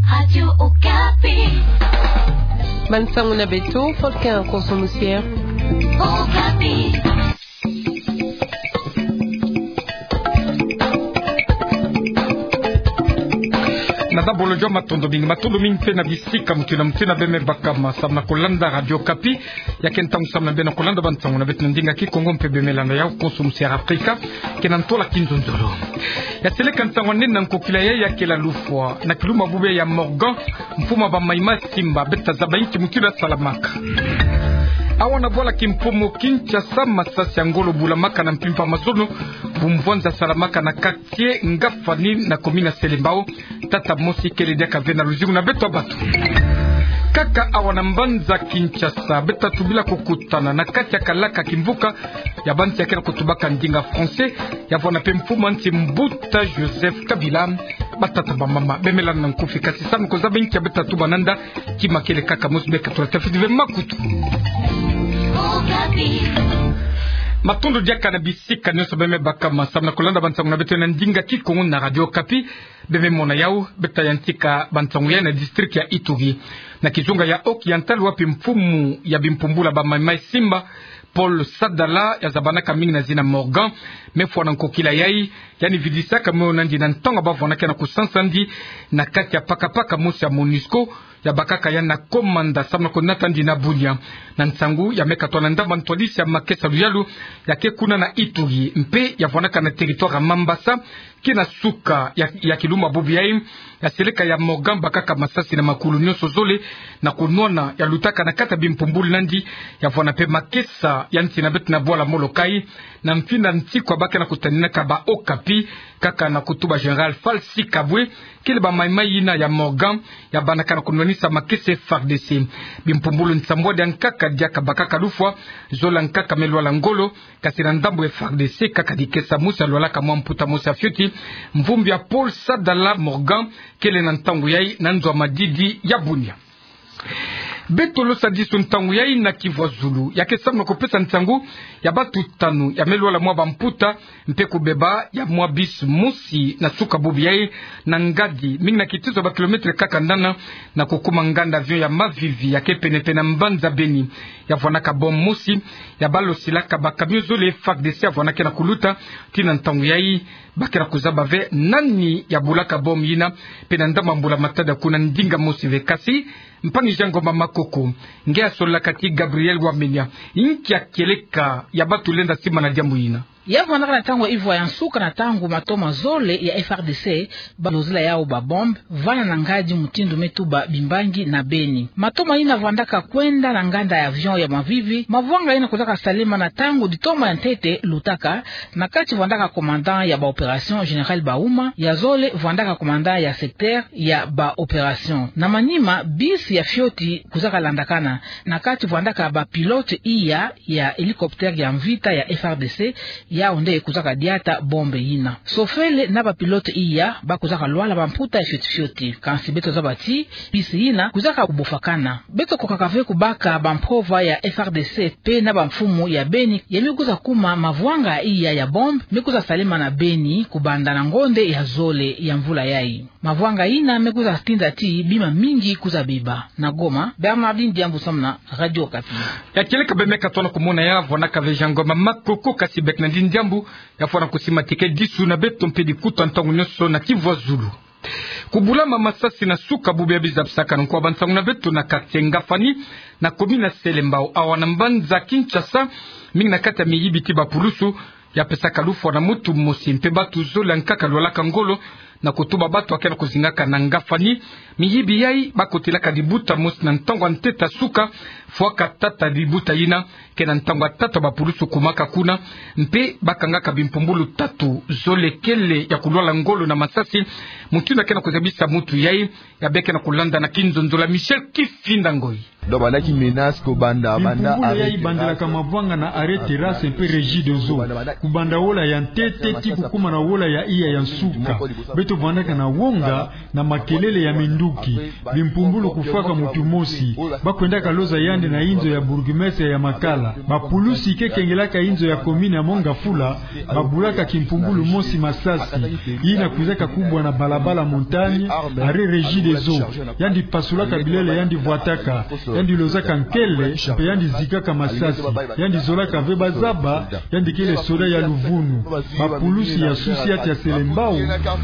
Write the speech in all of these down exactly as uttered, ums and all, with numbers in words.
Radio Okapi. Bansango na beto, Volcan Konso Musière. Okapi. Na dabolo jo matondo mingi, matondo mingi mpe na bisika mutindu na mutindu beme baka ma samna kolanda Radio Okapi. Ya ke ntangu samna beno kolanda bansango na beto na ndinga Kikongo mpe beme landa yau Konso Musière Afrika, ke na ntola kinzonzolo. Ya seleka nsangu nene na nkokila yayi ya kela lufwa na kilumbu bubu ya Morgan, mfumu a ba maïmaï Simba, beto tazaba inki mutindu ya salamaka. Awa na bwala kimpumu Kinshasa, masasi ya ngolo bulamaka na mpimpa mazono, bumvwanza salamaka na quartier Ngafani na commune ya Selembao. Tata mosi kele diaka ve na luzingu na beto ya bato. Kaka awa na mbanza Kinshasa, beto tatubila kokutana na kati ya kalaka kimvuka ya bansi ya ke na kotubaka ndinga français, ya vwanda mpe mfumu a nsi Mbuta Joseph Kabila. Batata, bamama, beme landa na nkufi, kasi samu kozaba inki ya beto tatuba nanda, kima kele kaka mosi, beka tula tafiti ve makutu. Matondo diaka na bisika nyonso beme baka ma samna kolanda bansango na beto na ndinga Kikongo na Radio Okapi. Beme mona yau, beto tayantika bansango yayi na district ya Ituri, na kizunga ya Haut-Oriental, wapi mfumu ya bimpumbulu a ba maïmaï Simba, Paul Sadala, ya zabanaka mingi na zina Morgan, me fwana nkokila yayi, yandi vidisaka moyo nandi na ntangu ba vwanaka na kosansa nandi na kati ya pakapaka mosi ya MONUSCO, ya bakaka yandi na komanda samu na konata nandi na Bunia. Na nsangu ya meka twa na ndambu ntwadisi ya makesa luyalu ya ke kuna na Ituri, mpe ya vwanaka na territoire ya Mambasa, kina suka ya, ya kilumbu bubu yayi, ya seleka ya Morgan bakaka masasi na makulu nyonso zole, na konwana ya lutaka na kati ya bimpumbulu nandi, ya vwanda mpe makesa ya nsi na beto na bwala Molokai, na mfinda nsiku ba ke na kotaninaka ba Okapi, kaka na kotuba Général Falsi Kabwe, kele ba maïmaï yina ya Morgan, ya bandaka na konwanisa makesa F A R D C. Bimpumbulu nsambwadi ya nkaka diaka bakaka lufwa, zole ya nkaka me lwala ngolo, kasi na ndambu F A R D C kaka dikesa mosi ya lwalaka mwa mputa mosi ya fioti, mvumbi ya Paul Sadala Morgan, kele na ntangu yayi na nzo ya madidi ya Bunia. Beto losa disu ntangu yayi na Kivu ya Zulu, ya ke samu na kopesa nsangu ya bato tanu ya me lwala mwa bamputa, mpe kobeba ya mwa bus mosi na suka bubu yayi, na ngadi mingi na kitizo ba kilomètre kaka nana, na kokuma nganda avion ya Mavivi ya ke pene-pene na mbanza Beni. Ya vwanaka bombe mosi ya balosilaka ba camion zole F A R D C ya vwanaka na kuluta, tii na ntangu yayi ba ke na kozaba ve nani ya bulaka bombe yina, mpe na ndambu mbula-matadi kuna ndinga mosi ve. Kasi mpangi Jean Ngoma Makoko, nge ya sololaka tii Gabriel Wamenya, inki ya kieleka ya bato lenda simba na diambu yina? Ya vwandaka na ntangu ya ivwa ya nsuka na ntangu matoma zole ya F A R D C balozila yau ba bombe vana na ngadi mutindu me tuba bimbangi na Beni. Matoma yina vwandaka kwenda na nganda ya avion ya Mavivi, mavwanga yina kwizaka salema na ntangu ditoma ya ntete lutaka, na kati vwandaka commandant ya ba opération Général Bauma, ya zole vwandaka commandant ya secteur ya ba opération. Na manima, bus ya fioti kwizaka landakana, na kati vwandaka ba pilote iya ya hélicoptère ya mvita ya F A R D C, yau nde kwizaka diata bombe yina. Sofele na ba pilote iya ba kwizaka lwala bamputa ya fioti-fioti. Kansi beto zaba ti bus yina kwizaka kubofakana. Beto kokaka ve kubaka bampova ya F A R D C mpe na bamfumu ya Beni ya me kwiza kuma mavwanga iya ya bombe me kwiza salema na Beni kubanda na ngonde ya zole ya mvula yayi. Mavwanga yina me kwiza tinda ti bima mingi kwiza biba. Na Goma, Bernardine Diambu samu na Radio Okapi. Ya kieleka bemeka tona kumona ya vwanaka ve Jean Ngoma Makoko, kasi beka na ndi Diambu ya fwana kusima ti ke disu na beto mpe dikuta ntangu nyonso na Kivu ya Zulu. Kubulama masasi na suka bubu ya biza bisaka nkwa bansangu na beto na quartier Ngafani, na commune ya Selembao, awa na mbanza Kinshasa, mingi na kati ya miyibi ti bapulusu, ya pesaka lufwa na mutu mosi mpe bato zole ya nkaka lwalaka ngolo, na kotuba bato ya ke na kozingaka na Ngafani. Miyibi yayi ba kotelaka dibuta mosi na ntangu ya ntete ya suka, fwaka tata dibuta yina, ke na ntangu ya tata bapulusu kumaka kuna, mpe ba kangaka bimpumbulu tatu, zole kele ya kulwala ngolo na masasi. Mutu yina ke na kozabisa mutu yayi, ya beka na kolanda na kinzonzolo ya Michel Kifinda Ngoyi. Donc, banda ki menace ko banda, banda. Bimpumbulu yai bandelaka mavanga na arrêt Terrasse mpe Regideso. Kubanda wola ya ntete tii kukuma na wola ya iya ya nsuka. Beto vandaka na wonga na makelele ya minduki. Bimpumbulu kufwaka mutu mosi. Ba kwendaka loza yandi na inzo ya bourgmestre ya Makala. Bapulusi ke kengelaka inzo ya commune ya Mont Ngafula, babulaka kimpumbulu mosi masasi. Yina kwizaka kubwa na balabala Montagne, arrêt Regideso. Yandi pasulaka bilele yandi vwataka. Yandi lozaka nkele, mpe yandi zikaka masasi. Yandi zolaka ve bazaba, yandi kele soda ya luvunu. Bapulusi ya susi ya Selembao,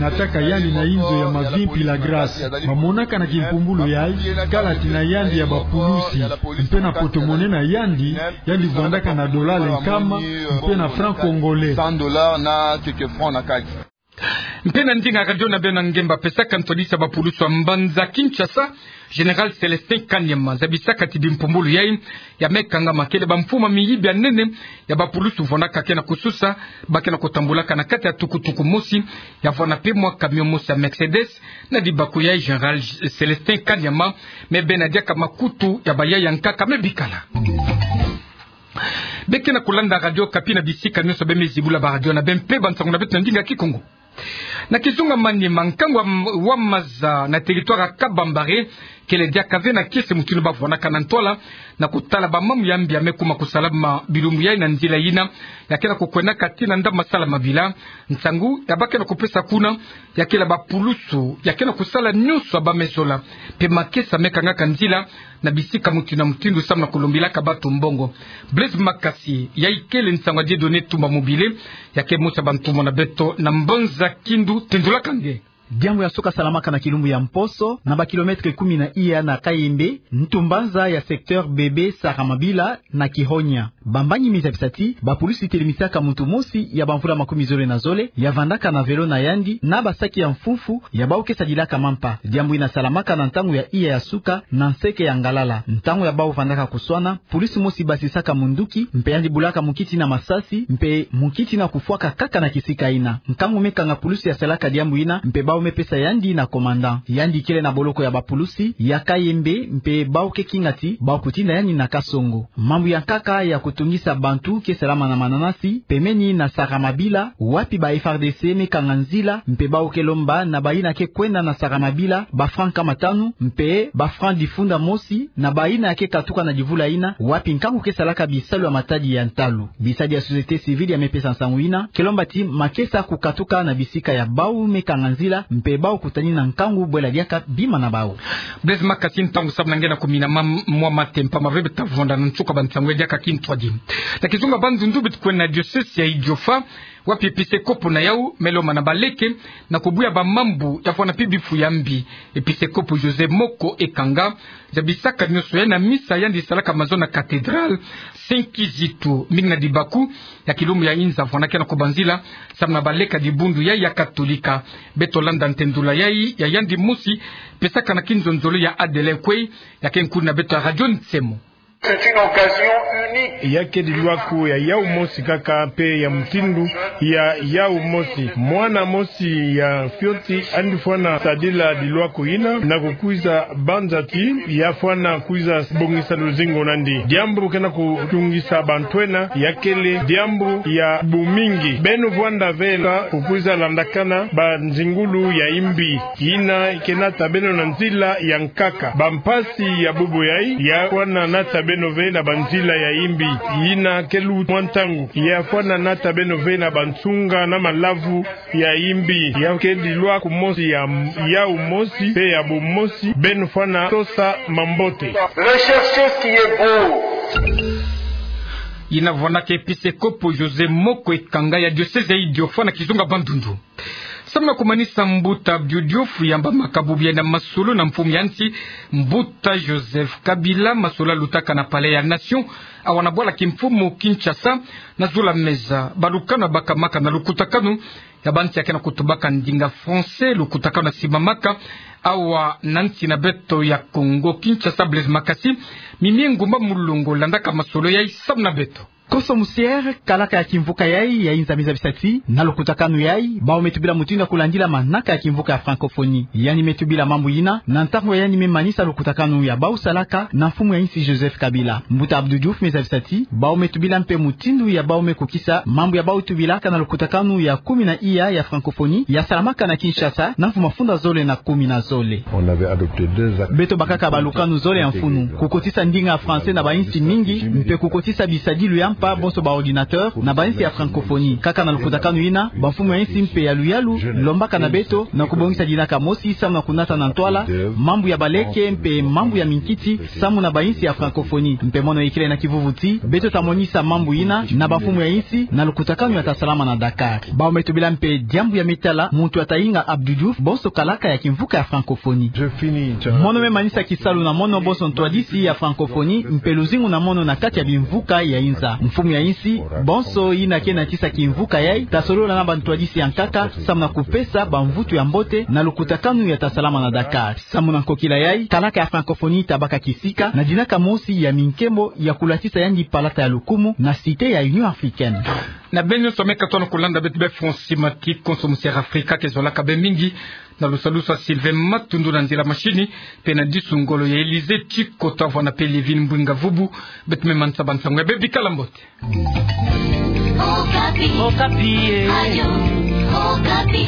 nataka yandi na inzo ya Mavimpi La Grâce. Bamonaka na kimpumbulu yai, kalati na yandi ya bapulusi. Mpe na porte-monnaie na yandi, yandi vandaka na dollar nkama, mpe na franc congolais. Cent dollars na quelques francs na kati. Mpe na ndinga radio na beno ngemba pesaka ntwadisa bapulusi ya mbanza Kinshasa, Général Célestin Kanyama, zabisaka ti bimpumbulu yai, ya me kangama kele bamfuma miyibi ya nene, ya bapulusi vandaka ke na kususa, ba ke na kutambulaka na kati ya tukutuku mosi, ya vwanda mpe mwa camion mosi ya Mercedes, na dibaku yai Général Célestin Kanyama, me bena diaka makutu ya bayaya nkaka me bikala. Be ke na kulanda Radio Okapi na bisika nyonso be me zibula baradio na beno mpe bansangu na beto na ndinga Kikongo. Na kizunga Maniema, nkangu wa, wa maza na territoire ya Kabambare, kele diaka ve na kiese mutindu ba vwanaka na ntwala, na kutala bamambu ya mbi ya me kuma kusalama bilumbu yai na nzila yina, ya ke na kukwendaka tii na ndambu ya Salamabila, nsangu ya ba ke na kupesa kuna, ya kele bapulusu, ya ke na kusala nyonso ya ba me zola, mpe makesa me kangaka nzila, na bisika mutindu na mutindu samu na kulombilaka bato mbongo. Blaise Makasi, yai kele nsangu ya Dieudonné Tumba Mobile, ya ke mosi ya bantumwa na beto na mbanza Kindu, tendulaka nge. Diambu ya suka salamaka na kilumbu ya mposo, na ba kilomètre kumi na iya na Kayembe, ntumbanza ya secteur Bebe Saramabila na Kihonya. Bambangi me zabisa ti, bapulusi telemisaka muntu mosi ya bamvula makumi zole na zole, ya vandaka na vélo na yandi, na basaki ya mfumfu, ya bau ke sadilaka mampa. Diambu yina salamaka na ntangu ya iya ya suka, na nseke ya ngalala. Ntangu ya bau vandaka kuswana, pulusi mosi basisaka munduki, mpe yandi bulaka mukiti na masasi, mpe mukiti na kufwaka kaka na kisika yina. Nkangu me kanga pulusi ya salaka diambu yina, mpe bau me pesa yandi na commandant. Yandi kele na boloko ya bapulusi ya Kayembe, mpe bau ke kinga ti bau kutinda yandi na kasongo. Mambu ya nkaka ya kutungisa bantu ke salama na mananasi, pembeni na Saramabila, wapi ba F A R D C me kanga nzila, mpe bau ke lomba na bayina ke kwenda na Saramabila ba franc nkama tanu, mpe ba franc difunda mosi, na bayina ke katuka na divula yina, wapi nkangu ke salaka bisalu ya matadi ya ntalu. Bisadi ya société civile ya me pesa nsangu yina, ke lomba ti makesa kukatuka na bisika ya bau me kanga nzila, mpe bau kutani na nkangu bwela diaka bima na bau. Blaise Makasi, ntangu samu na nge na kumina mam-, mwa matempa ma ve beta vwanda na nsuka bansangu ya diaka kintwadi. Na kizunga Bandundu beto kwenda na diocèse ya Idiofa, wapi episekopo na yau me lomba na baleke na kubuya bamambu ya vwanda mpe bifu ya mbi. Episekopo José Moko Ekanga, zabisaka nyonso yai na misa yandi salaka mazono na cathédrale Saint Kizito, mingi na dibaku ya kilumbu ya inza vwanda ke na kubanzila, samu na baleke ya dibundu yai ya Katolika. Beto landa ntendula yai ya yandi mosi, pesaka na kinzonzolo ya Adelin Kwei, ya ke nkulu na beto ya Radio Nsemo. C'est une occasion unique. Ya ke dilwaku ya yau mosi kaka mpe ya mutindu ya yau mosi. Mwana mosi ya fioti andi fwana sadila dilwaku yina na kukwiza banza ti ya fwana kwiza bongisa luzingu na yandi. Diambu ke na kutungisa bantu ena ya kele diambu ya bumingi. Beno vwanda ve na kukwiza landakana banzingulu ya imbi yina ke nata beno na nzila ya nkaka. Bampasi ya bubu yai ya fwana nata beno ve na banzila ya imbi. Yina ke luta mwa ntangu ya fwana nata beno ve na bansunga na malavu ya imbi. Ya ke dilwaku mosi ya yau mosi mpe ya bumosi, beno fwana tosa mambote. Recherchez ce qui est beau. Yina vwanaka episekopo José Moko Ekanga ya diocèse ya Idiofa na kizunga Bandundu. Samu na kumanisa mbuta biodiofo ya mba makabu bia na masolo na mfumu ya nsi, mbuta Joseph Kabila, masolo lutaka na Palais ya Nation, awa na bwala kimfumu Kinshasa, na zula meza balukanu bakamaka na lukutakanu ya bantu ya ke na kutubaka ndinga français, lukutakanu na simamaka awa na nsi na beto ya Congo Kinshasa. Blaise Makasi, Mimie Ngumba Mulongo landaka masolo yai samu na beto. Konso musiere, kalaka ya kimvuka yai ya inza, meza bisati, na lukutakanu yai, bawu me tubila mutindu ya kulandila manaka ya kimvuka ya francophonie. Yandi me tubila mambu yina na ntangu yandi me manisa lukutakanu ya bawu salaka na mfumu ya insi Joseph Kabila. Mbuta Abdou Diouf, meza bisati, bawu me tubila mpe mutindu ya bawu me kukisa mambu ya bawu tubilaka na lukutakanu ya kumi na iya ya francophonie ya salamaka na Kinshasa na mvu mafunda zole na kumi na zole. Beto bakaka balukanu zole ya mfunu: kukotisa ndinga ya français na bainsi mingi, mpe kukotisa bisadilu ya mpa, bonso ba ordinateur, na bainsi ya francophonie. Kaka na lukutakanu yina, bamfumu ya insi mpe ya luyalu lombaka na beto na kubongisa dinaka mosi samu na kunata na ntwala mambu ya baleke mpe mambu ya minkiti samu na bainsi ya francophonie. Mpe mono ikele na kivuvu ti beto ta monisa mambu yina na bamfumu ya insi na lukutakanu ya ta salama na Dakar. Bawu me tubila mpe diambu ya me tala muntu ya ta inga Abdou Diouf, bonso kalaka ya kimvuka ya francophonie. Mono me manisa kisalu na mono bonso ntwadisi ya francophonie mpe luzingu na mono na kati ya bimvuka ya inza. Mfumu ya insi, bonso yina ke natisa kimvuka yai, ta solola na bantwadisi ya nkaka samu na kupesa bamvutu ya mbote na lukutakanu ya ta salama na Dakar. Samu na nkokila yai, kalaka ya francophonie ta baka kisika na dinaka mosi ya minkembo ya kulatisa yandi palata ya lukumu na Cité ya Union Africaine. Na beno nyonso me katono kulanda beto be France Simatique, konso musiere Afrika ke zolaka be mingi na lusalusu ya Sylvain Matundu na nzila machine, mpe na disu ngolo ya Élysée Tchikota, vwanda mpe Lévin Mbwinga Vubu. Beto me manisa ba nsangu ya be, bikala mbote. Okapi. Okapi, eh. Radio Okapi.